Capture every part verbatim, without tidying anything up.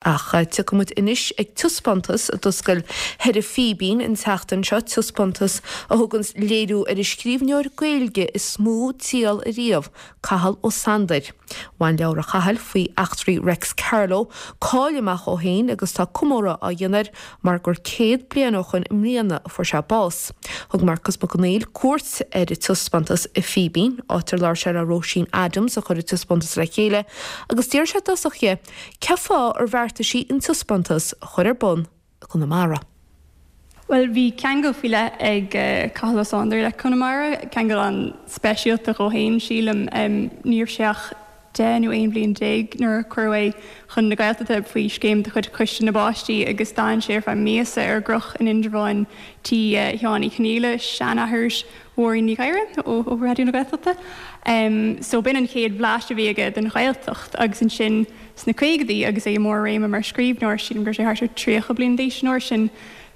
Ach tiocfaimid anois ag taispeántas a d'oscail thoir i Fíbín an tseachtain seo taispeántas a thugann léiriú ar an scríbhneoir Gaeilge is mó díol ariamh, Cathal Ó Sándair. Bhain leabhar Chathal faoi eachtraí Reics Carló cáil amach ó shin agus tá comóradh á dhéanamh air mar gur céad bliain ó shin i mbliana a fuair sé bás. Thug Marcas Mac Conghail cuairt ar an taispeántas i Fíbín, áit ar labhair sé le Róisín Adams a chuir an taispeántas le chéile, agus d'iarr sé i dtosach di cén fáth ar bheartaigh sí an taispeántas a chur ar bun i gConamara. Well bhí ceangal faoi leith ag uh, Cathal Ó Sándair le Conamara, ceangal an-speisialta dhó féin sílim um, ní raibh sé ach deich nó aon bhliain déag nuair a cuireadh é chun na Gaeltachta faoi scéim de chuid Choiste na bPáistí agus d'fhan sé ar feadh míosa ar an gCroch in Indreabhán tí uh, Sheáin Uí Chonghaile seanathair Mháirín Ní Ghadhra ó, ó Raidió na Gaeltachta. Um, so b'in an chéad bhlaiseadh a bhí aige den Ghaeltacht agus ansin sna caogaidí agus é mór réime mar scríbhneoir sin gur sé thart ar tríocha bliain d'aois an uair sin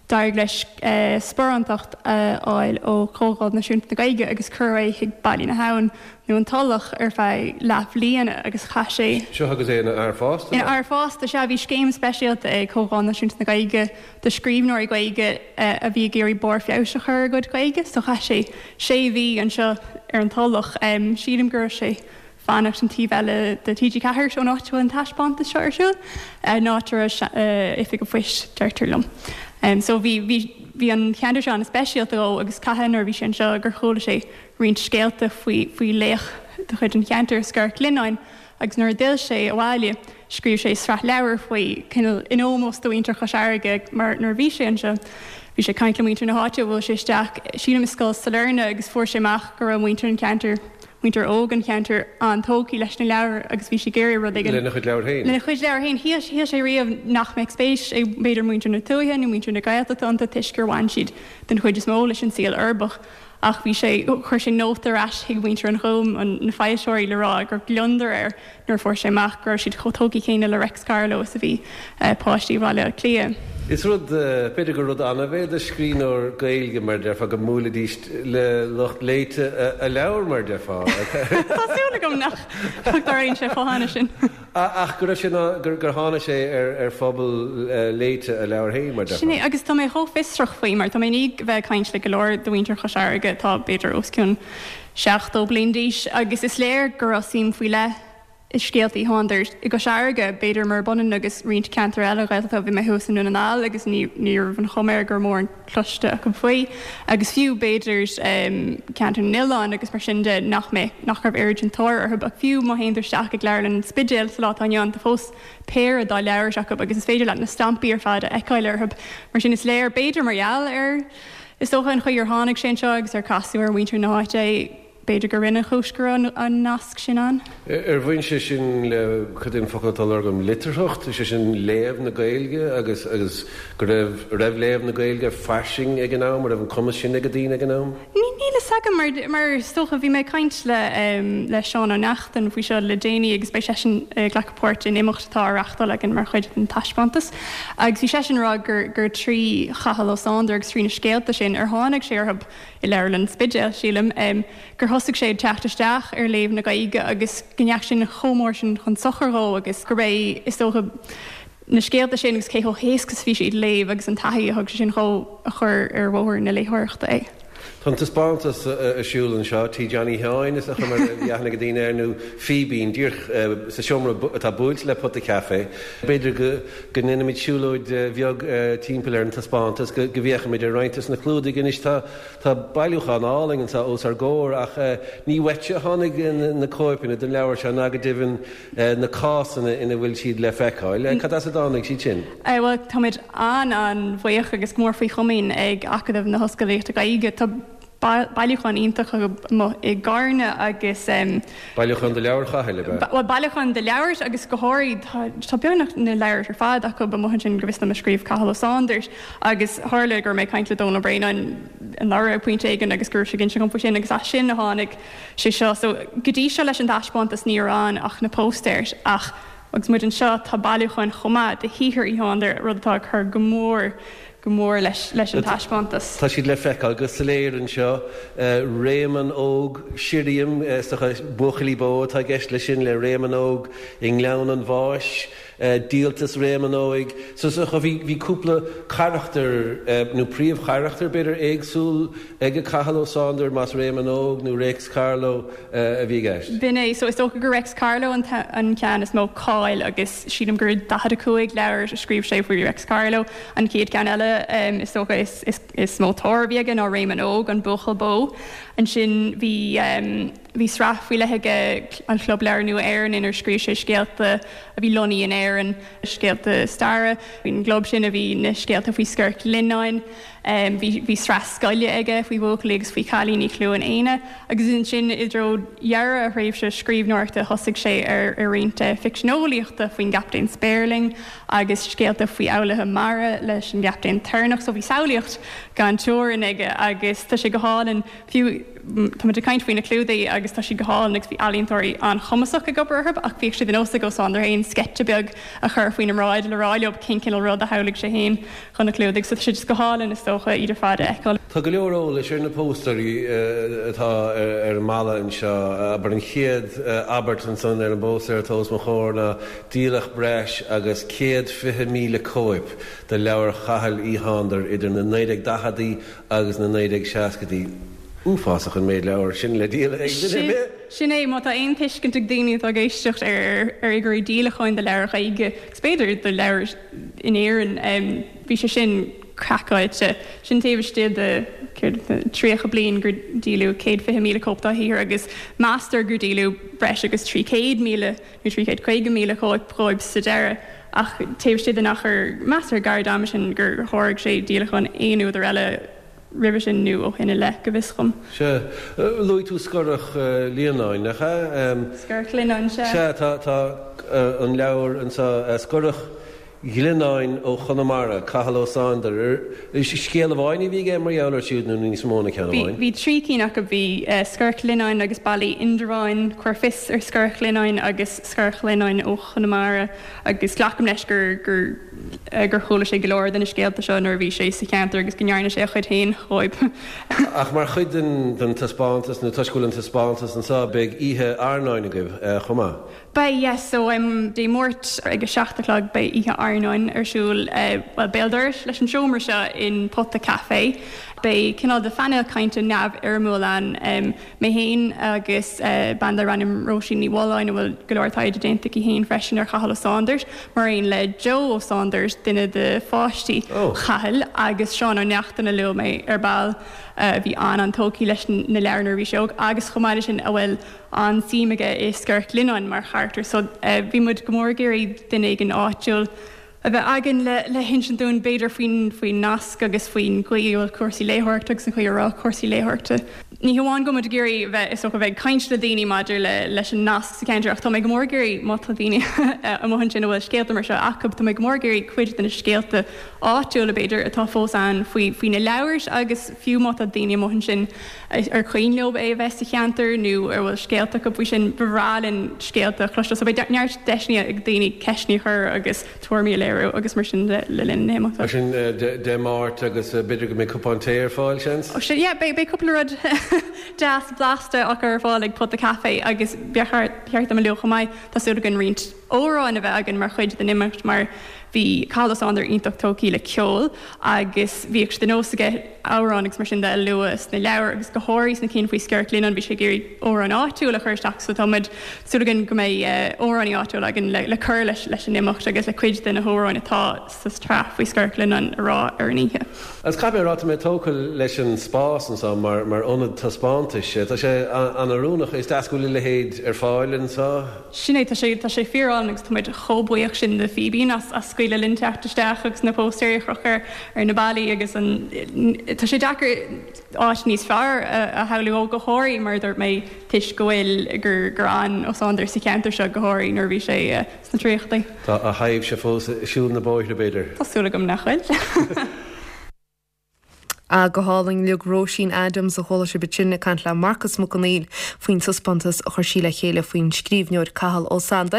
d'éirigh leis uh, sparántacht a fháil ó Chomhdháil Náisiúnta na Gaeilge agus cuireadh é chuig Baile na hAbhann nó an Tulach ar feadh leathbhliana agus chaith sé Seo agus é ina fhear fásta? Ina fhear fásta sea bhí scéim speisialta ag Comhdháil Náisiúnta na Gaeilge do scríbhneoirí Gaeilge uh, a bhí ag iarraidh barr feabhais a chur ar a gcuid Gaeilge, so chaith sé sé mhí anseo ar an Tulach um, sílim gur sé fanacht an taobh eile de TG Ceathair ón áit an taispeántas seo ar siúl áit a oifig an phoist deirtear liom. Um, so bhí bhí bhí an ceantar seo an-speisialta dó agus cathain nuair bhí sé anseo gur chuala sé roinnt scéalta faoi faoi laoch de chuid an cheantair Sgurr Lionnáin agus nuair a d'fhill sé abhaile scríobh sé sraith leabhar faoi cineál in ómós do mhuintir Chois Fharraige mar nuair bhí sé anseo. Bhí sé caint le muintir na háite bhfuil sé isteach sílim i scoil Sailearna agus fuair sé amach go raibh muintir an ceantar muintir óg an cheantair an-tógtha leis na leabhair agus bhí sé ag iarraidh rud Lena chuid leabhar féin. Lena chuid leabhar féin shíl sé riamh nach mbeadh spéis ag b'fhéidir muintir na tuaithe nó muintir na Gaeltachta iontu toisc gur bhain siad den chuid is mó leis an saol uirbeach. Ach bhí sé chuir sé nóta ar ais chuig muintir an Ghúim an na foilsitheoirí le rá gur gliondar air nuair fuair sé amach go raibh siad chomh tógtha céanna le Reics Carló is a bhí uh, páistí Bhaile Átha Cliath. Is rud b'fhéidir gur rud annamh é do scríbhneoir Gaeilge mar déarfá go mbuailfidís le lucht léite a leabhar mar déarfá. Tá súil agam nach dtarlaíonn sé chomh sin. Ach go raibh sé gur gur tháinig sé ar ar phobal léite a leabhar féin mar Sin é agus tá mé chomh fiosrach faoi mar tá mé ní bheith caint le go leor de mhuintir Chois Fharraige tá b'fhéidir os cionn seachtó bliain d'aois agus is léir go raibh suim faoi leith i scéalta Uí Shándair i gCois Fharraige b'fhéidir mar b'ionann agus roinnt ceantar eile Ghaeltachta bhí mé thuas i nDún na nGall agus ní ní raibh an chuma air gur mór an cloiste acu faoi agus fiú b'fhéidir um, ceantar na n-oileán agus mar sin de nach mé nach raibh oiread sin tóir orthu ach fiú má théann tú isteach ag Leabharlann an Spidéil sa lá atá inniu ann tá fós péire dá leabhar acu agus is féidir leat na stampaí ar fad a fheiceáil orthu mar sin is léir b'fhéidir mar gheall ar is dócha an chaoi ar tháinig sé anseo agus ar casadh ar mhuintir na háite b'fhéidir gur rinne chúis go an, an nasc sin an. Ar bhain sé sin le cad é an focal atá agam litearthacht, sé sin léamh na Gaeilge agus agus go raibh raibh léamh na Gaeilge fairsing ag an am, raibh an cumas sin ag daoine ag an am? Ní níl a fhios agam mar mar is dócha bhí mé caint le um, le Seán Ó Neachtain faoi seo le déanaí agus beidh seisean ag glacadh páirt in imeacht atá á reáchtáil againn mar chuid den taispeántas. Agus bhí seisean ag rá gur gur trí Chathal Ó Sándair agus trí na scéalta sin ar tháinig sé orthu i Leabharlann an Spidéil sílim um, gur thosaigh sé teacht isteach ar léamh na Gaeilge agus go ndeachaigh sin chomh mór sin chun sochair dhó agus gur é is dócha na scéalta sin agus cé chomh héasca is bhí siad le léamh agus an taithí a thug sé sin dhó a chur ar bhóthar na léitheoireachta é. Tá taispeántas ar siúl anseo Tí Johnny Sheáin is a chumar dheanna go daine ar nó Fíbín díreach sa seomra atá buailte le Pota Café. B'fhéidir go go ndéanfaimid siúlóid bheag timpeall ar an taispeántas go go bhféachfaimid ar roinnt de na clúdaigh anois tá tá bailiúchán álainn anseo os ár gcomhair ach ní uaitse a tháinig na cóipeanna den leabhar seo ná go deimhin na cásanna ina bhfuil siad le feiceáil. Cad as a dtáinig siad sin? Well táimid an an-bhuíoch agus mór faoi chomaoin ag Acadamh na hOllscolaíochta Gaeilge Tá bailiúchán iontach i gCarna agus um, Bailiúchán de leabhair Chathail Well bailiúchán de leabhair agus go háirithe tá beagnach na leabhair ar fad acu amuigh ansin go bhfios dom a scríobh Cathal Ó Sándair agus tharla gur mé caint le Dónal Bréanainn anuraidh pointe éigin agus gur sé ginse faoi sin agus as sin a tháinig sé seo so go dtí seo leis an taispeántas ní raibh ach na póstaeir ach agus muid anseo tá bailiúchán chomh maith de shaothar Uí Shándair rud atá chur go mór go mór leis leis an taispeántas. Tá siad le feiceáil go soiléir anseo Réamonn Óg Sirriam buachaillí bó atá i gceist leis sin le Réamonn Óg i nGleann an Bháis, Díoltas Réamonn Óig. So so bhí bhí cúpla carachtar nó príomhcharachtar b'fhéidir éagsúil ag Cathal Ó Sándair más Réamonn Óg nó Réics Carló a bhí i gceist. B'in é so is dócha gur Réics Carló an an ceann is mó cáil agus sílim gur daichead a cúig leabhar a scríobh sé faoi Réics Carló. An chéad ceann eile um, is dócha is, is, is mó tóir a bhí aige ná Réamonn Óg an Buachaill Bó. Ansin bhí um, bhí sraith faoi leith aige an Club Leabhar Nua Éireann inar scríobh sé scéalta a bhí lonnaithe in Éirinn scéalta staire. Faoin gclub sin a bhí na scéalta faoi Scorach Lionnáin. Um, bhí, bhí sraith scoile aige faoi bhuachaillí agus faoi chailíní Chluain Éanna, agus ansin i dtreo dheireadh a thréimhse scríbhneoireachta thosaigh sé ar ar roinnt ficsean eolaíochta faoin gCaptaen Spéirling agus scéalta faoi fhoghlaithe mara leis an gCaptaen Toirneach, so bhí samhlaíocht gan teorainn aige agus tá sé go hálainn fiú tá muid ag caint faoi na clúdaigh agus tá siad go hálainn agus bhí ealaíontóirí an-chumasach ag obair orthu ach bhíodh sé de nós ag Ó Sándair féin sceitse beag a chur faoina mbráid le rá leo cén cineál rud a shamhlaigh sé féin chun na clúdaigh, so tá sé just go hálainn is dócha iad ar fad a fheiceáil. Tá go leor eolais ar na póstaerí atá ar an mballa anseo, abair an chéad abairt ansan ar an bpóstaer atá os mo chomhair ná díoladh breis agus céad fiche míle cóip de leabhair Chathail Uí Shándair idir na naoi déag daicheadaí agus na naoi déag seascadaí. Uafásach an méid leabhar sin le díol ag duine ar bith. Sin é, má tá aon tuiscint ag daoine atá ag éisteacht ar ar fhigiúirí díolacháin do leabhair Ghaeilge, agus b'fhéidir do leabhair in Éirinn, bhí sé sin craiceáilte. Sin taobh istigh de céard tríocha bliain gur díoladh céad fiche míle cóip dá shaothar agus meastar gur díoladh breis agus trí chéad míle nó trí chéad caoga míle cóip dhóibh sa deireadh. Ach taobh istigh den achar measartha gairid ama sin gur sháraigh sé díolacháin aon údar eile roimhe sin nó ó shin i leith, go bhfios dhom. Sea. Luaigh tú Scorach Lionnáin, nach ea? Scorach Lionnáin, sea. Sea, tá, tá an leabhar anseo, Scorach Ghlionnáin ó Chonamara, Cathal Ó Sándair. Scéal amháin a bhí aige mar gheall air siúd nó níos mó ná ceann amháin? Bhí trí cinn acu, bhí Scorach Lionnáin agus Ballaí Indreabháin, Cuir Fios ar Scorach Lionnáin agus Scorach Lionnáin ó Chonamara agus glacaim leis gur gur gur chuala sé go leor de na scéalta seo nuair a bhí sé sa cheantar agus go ndearna sé a chuid féin dhóibh. Ach mar chuid den den taispeántas nó toisc go bhfuil an taispeántas anseo, beidh oíche airneáin agaibh chomh maith. Beidh, yes. So Dé Máirt ag a seacht a chlog beidh oíche airneáin ar siúl, bhuel, béal dorais leis an seomra seo in Pota Café. Beidh cineál de phainéal cainte neamhfhoirmiúil ann, mé féin agus bean darb ainm Róisín Ní Mhulláin, a bhfuil go leor taighde déanta aici féin freisin ar Chathal Ó Sándair, mar aon le Joe Ó Sándair, duine de pháistí Chathail, agus Seán Ó Neachtain a luaigh mé ar ball, a bhí an-an-tógtha leis na leabhair nuair a bhí sé óg, agus chomh maith leis sin a bhfuil an-suim aige i Scorach Lionnáin mar charachtar. So bhí muid go mór ag iarraidh duine éigin áitiúil a bheith againn le le hinsint dúinn b'fhéidir faoin faoin nasc agus faoin gcaoi a bhfuil cúrsaí léitheoireachta agus an chaoi a raibh cúrsaí léitheoireachta. Ní hamháin go bhfuil muid ag iarraidh bheith is dócha bheith ag caint le daoine maidir le leis an nasc sa cheantar ach tá mé go mór ag iarraidh má tá daoine amuigh ansin a bhfuil scéalta mar seo acu tá mé go mór ag iarraidh cuid de na scéalta áitiúla b'fhéidir atá fós ann faoi faoi na leabhair agus fiú má tá daoine amuigh ansin ar cuimhin leo é a bheith sa cheantar nó ar bhfuil scéalta acu faoi sin, ba bhreá linn scéalta a chloisteáil. So beidh neart deiseanna ag daoine ceisteanna a chur agus tuairimí a léiriú agus mar sin de le linn na himeachta. Mar sin Dé Máirt agus b'fhéidir go mbeidh cupán tae ar fáil, seans? Ó sin, yeah, beidh cúpla rud deas blasta á chur ar fáil ag Pota Caife agus ba cheart dom a lua chomh maith, tá súil againn roinnt amhráin a bheith againn mar chuid den imeacht mar bhí Cathal Ó Sándair iontach tógtha le ceol agus bhíodh sé de nós aige amhráin agus mar sin de a lua sna leabhair agus go háirithe sna cinn faoi Scorach Lionnáin bhí sé ag iarraidh amhráin áitiúil a chur isteach so tá muid súil againn go mbeidh amhránaí áitiúil againn le le cur leis leis an imeacht agus le cuid de na hamhráin atá sa tsraith faoi Scorach Lionnáin a rá ar an oíche. Agus caithfidh mé a rá tá mé tógtha leis an spás anseo mar mar ionad taispeántais. Tá sé an-oiriúnach. Is deas go bhfuil a leithéid ar fáil anseo. Sin é, tá sé tá sé fíorálainn agus tá muid chomh buíoch sin de Fíbín as as scaoileadh linn teacht isteach agus na póstaerí a chrochadh ar ar na ballaí agus an tá sé deacair áit níos fearr a a shamhlú ó go háirithe mar a dúirt mé toisc go bhfuil gur gur fhan Ó Sándair sa cheantar seo go háirithe nuair a bhí sé sna tríochadaí. Tá a thaibhse fós ag siúl na bóithre b'fhéidir. Tá súil agam nach bhfuil. Ah, go hálainn uilig Róisín Adams a chuala sibh ansin ag caint le Marcas Mac Conghail faoin taispeántas a chuir sí le chéile faoin scríbhneoir Cathal Ó Sándair.